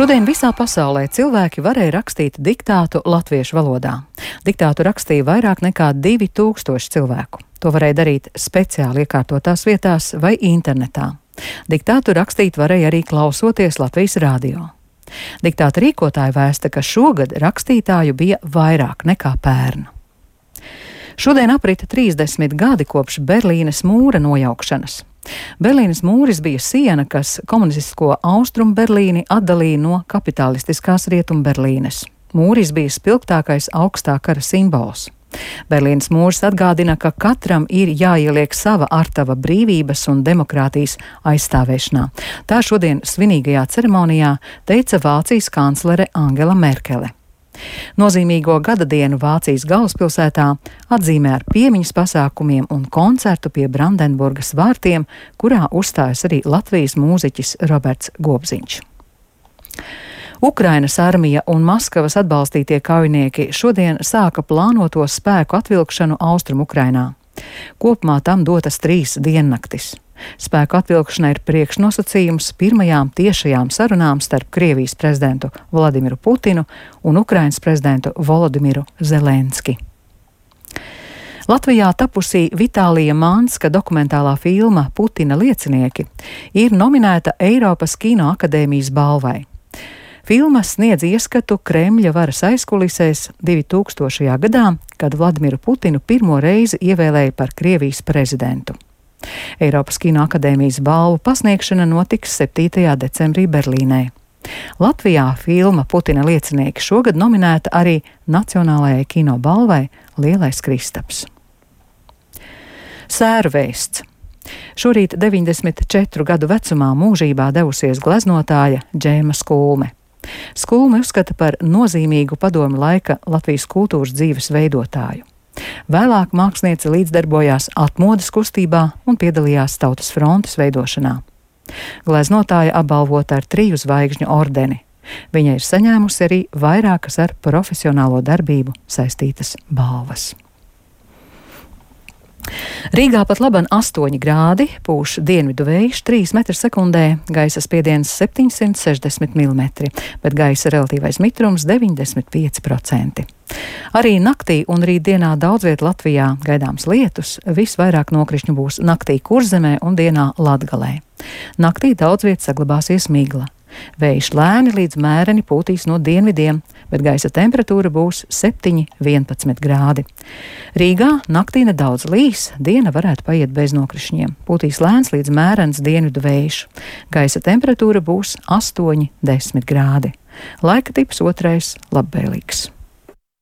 Šodien visā pasaulē cilvēki varēja rakstīt diktātu latviešu valodā. Diktātu rakstīja vairāk nekā 2000 cilvēku. To varēja darīt speciāli iekārtotās vietās vai internetā. Diktātu rakstīt varēja arī klausoties Latvijas radio. Diktāta rīkotāji vēsta, ka šogad rakstītāju bija vairāk nekā pērn. Šodien aprita 30 gadi kopš Berlīnes mūra nojaukšanas. Berlīnes mūris bija siena, kas komunistisko Austrumu Berlīni atdalīja no kapitalistiskās Rietumu Berlīnes. Mūris bija spilgtākais augstā kara simbols. Berlīnes mūris atgādina, ka katram ir jāieliek sava artava brīvības un demokrātijas aizstāvēšanā. Tā šodien svinīgajā ceremonijā teica Vācijas kanclere Angela Merkele. Nozīmīgo gada dienu Vācijas galvaspilsētā atzīmē ar piemiņas pasākumiem un koncertu pie Brandenburgas vārtiem, kurā uzstājas arī Latvijas mūziķis Roberts Gobziņš. Ukrainas armija un Maskavas atbalstītie kaujinieki šodien sāka plānoto spēku atvilkšanu Austrumu Ukrainā. Kopumā tam dotas 3 diennaktis. Spēku atvilkšana ir priekšnosacījums pirmajām tiešajām sarunām starp Krievijas prezidentu Vladimiru Putinu un Ukrainas prezidentu Volodimiru Zelenski. Latvijā tapusī Vitālija Manska dokumentālā filma Putina liecinieki ir nominēta Eiropas Kinoakadēmijas balvai. Filma sniedz ieskatu Kremļa varas aizkulisēs 2000. gadā, kad Vladimiru Putinu pirmo reizi ievēlēja par Krievijas prezidentu. Eiropas Kinoakadēmijas balvu pasniegšana notiks 7. decembrī Berlīnē. Latvijā filma Putina liecinieki šogad nominēta arī Nacionālajai kino balvai Lielais Kristaps. Sēru vēsts. Šorīt 94 gadu vecumā mūžībā devusies gleznotāja Džēma Skulme. Skulme uzskata par nozīmīgu padomju laika Latvijas kultūras dzīves veidotāju. Vēlāk māksliniece līdzdarbojās atmodas kustībā un piedalījās Tautas frontes veidošanā. Gleznotāja apbalvota ar 3 zvaigžņu ordeni. Viņa ir saņēmusi arī vairākas ar profesionālo darbību saistītas balvas. Rīgā pat laban 8 grādi, pūš dienvidu vējš 3 m/sekundē, gaisa spiediens 760 mm, bet gaisa relatīvais mitrums 95%. Arī naktī un rītdienā daudz viet Latvijā gaidāms lietus, visvairāk nokrišņu būs naktī Kurzemē un dienā Latgalē. Naktī daudz viet saglabāsies migla. Vējš lēni līdz mēreni pūtīs no dienvidiem, bet gaisa temperatūra būs 7–11 grādi. Rīgā naktī nedaudz līs, diena varētu paiet bez nokrišņiem. Pūtīs lēns līdz mērens dienvidu vējš. Gaisa temperatūra būs 8–10 grādi. Laika tips 2. labvēlīgs.